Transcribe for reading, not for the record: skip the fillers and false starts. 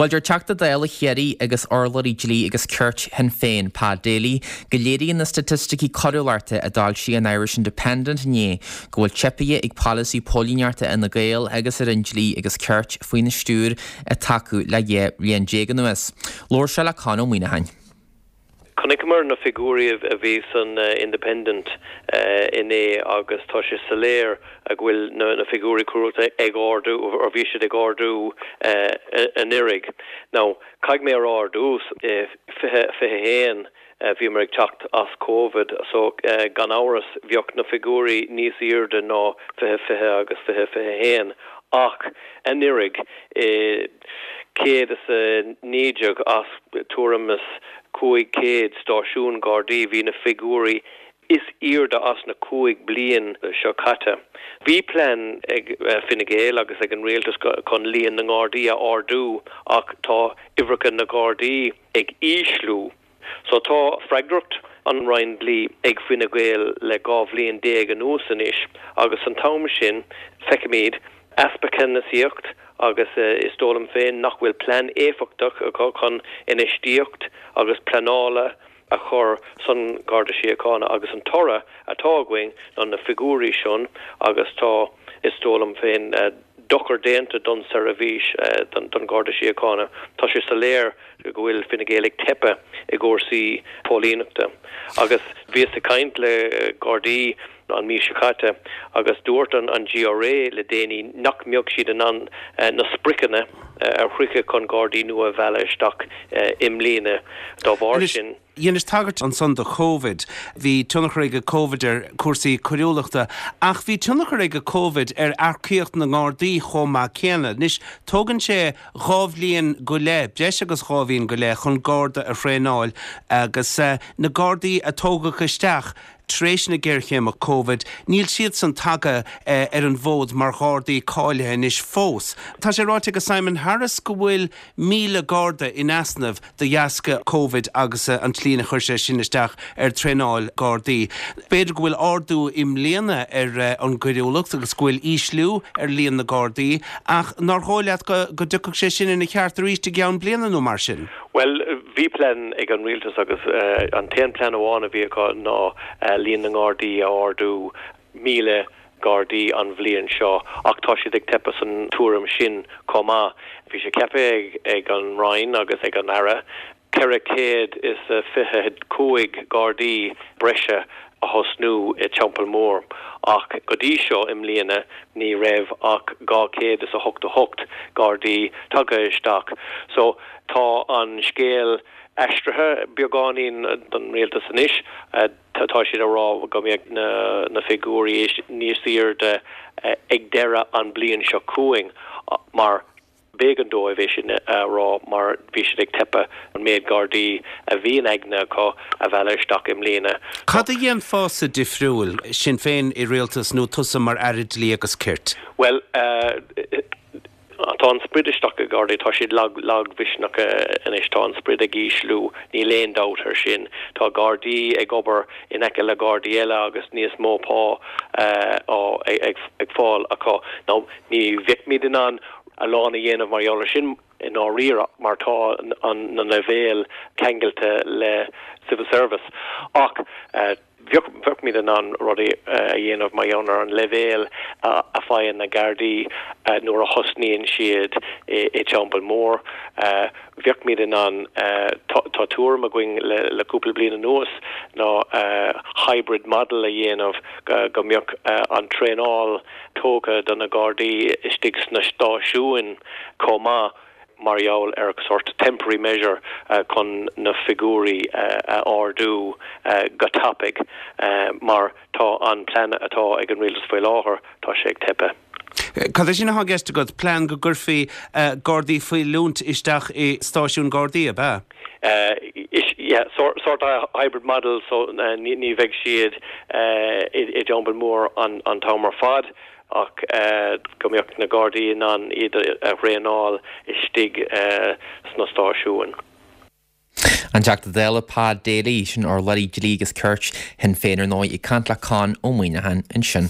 Bhuel, deir Teachta Dála Chiarraí agus urlabhraí dlí agus cirt Shinn Féin, Pat Daly, go léiríonn na staitisticí coiriúlachta a d'fhoilsigh an Irish Independent inné go bhfuil teipithe ag polasaí póilíneachta Fhine Gael agus ar an dlí agus cirt faoina stiúir atá acu le 12 bhliain anuas. Labhair sé le Con Ó Muíneacháin. Chonaiceamar na figiúirí a bhí san Independent inné agus tá sé soiléir go bhfuil na figiúirí coiriúlachta ag ardú, or bhí siad ag ardú anuraidh. Now, caithfidh mé a rá ar dtús, i 2021 bhíomar ag teacht as Covid so gan amhras bheadh na figiúirí níos airde ná 2020 agus 2021 ach anuraidh i 119 as tuairim is 500 stáisiún Gardaí, bhí na figiúirí is airde as na 15 bliain seo caite. Bhí plean ag Fine Gael agus ag an rialtas chun líon na nGardaí a ardú ach tá uimhreacha na Gardaí ag ísliú. So tá freagracht an Roinn Dlí ag Fine Gael le 12 bhliain anuas anois agus san t-am sin feicimid easpa ceannasaíocht agus is dóigh liom féin nach bhfuil plean éifeachtach acu chun infheistíocht agus pleanála a chur san Garda Síochána agus an toradh atá againn ná na figiúirí sin agus tá is dóigh liom féin dochar déanta don seirbhís don Gharda Síochána. Tá sé soiléir go bhfuil Fine Gael ag teipeadh i gcúrsaí póilíneachta agus bhíos ag caint le Gardaí an mhí seo caite agus dúirt an GRA le déanaí nach mbeadh siad in ann na spriocanna a shroicheadh chun Gardaí nua a mhealladh isteach i mbliana dá bharr sin. Dheinis tagairt ansan do Covid. Bhí tionchar ag Covid ar cúrsaí coiriúlachta ach bhí tionchar ag Covid ar earcaíocht na nGardaí chomh maith céanna. Anois, tógann sé dhá bhliain go leith, breis agus dhá bhliain go leith chun Garda a thraenáil agus na Gardaí a tógadh isteach tar éis na géarchéime Covid, níl siadsan tagtha ar an bhfód mar Ghardaí cáilithe anois fós. Tá sé ráite ag Simon Harris go bhfuil 1,000 Garda in easnamh de dheasca Covid agus an tslí inar chuir sé sin isteach ar traenáil Gardaí. B'fhéidir go bhfuil ardú i mbliana ar an gcoiriúlacht agus go bhfuil ísliú ar líon na Gardaí ach nár dhóigh leat go dtiocfadh sé sin ina cheart arís i gceann bliana nó mar sin? Bhuel, bhí plean ag an rialtas agus an t-aon plean amháin a bhí acu ná líon na nGardaí a ardú 1,000 Gardaí an bhliain seo ach tá siad ag teipeadh san tuairim sin chomh maith. Bhí sé ceaptha ag an Roinn agus ag an Aire 425 Gardaí breise a thosnú i Teampall Mór ach go dtí seo i mbliana ní raibh ach 288 Gardaí tagtha isteach. So tá an scéal aistrithe beagáinín don rialtas anois. Tá siad ag rá go mbeidh na figiúirí níos airde ag deireadh an bliain seo chugainn mar b'éigean dóibh é sin a rá mar bhí siad ag teipeadh an méid Gardaí a bhí in aigne acu a mhealladh isteach i mbliana. Cad a dhéanfása difriúil, Sinn Féin i rialtas nó tusa mar Aire Dlí agus Cirt? Bhuel, Tá an sprid isteach i Gardaí, tá siad lag, lagmhisneach anois, tá an sprid ag ísliú, níl aon dabht ar sin. Tá Gardaí ag obair in aice le Gardaí eile agus níos mó pá ag fáil acu. Now, ní bheimid in ann a lán a dhéanamh mar gheall ar sin i ndáiríre mar tá na leibhéil ceangailte le civil service ach, Bheimid in ann rudaí a dhéanamh mar gheall ar an leibhéal a faigheann na Gardaí nuair a thosnaíonn siad i dTeampall Mór. Bheimid in ann, tá tuairim againn le cúpla bliain anuas ná hybrid model a dhéanamh go mbeadh an traenáil tógtha do na Gardaí istigh sna stáisiúin chomh maith. mar gheall ar sort temporary measure chun na figiúirí a ardú go tapaidh mar tá an plean atá ag an rialtas faoi láthair, tá sé ag teipeadh. Cad é sin atá i gceist agat? Plean go gcuirfí Gardaí faoi oiliúint isteach i stáisiúin Gardaí, ab ea? Yeah, sort of hybrid model so ní bheidh siad i dTeampall Mór an t-am ar fad. ach go mbeadh na Gardaí in ann iad a thraenáil istigh sna stáisiúin. An Teachta Dála Pa Daly, sin urlabhraí dlí agus cirt Shinn Féin ar ndóigh, ag caint le Con Ó Muíneacháin ansin.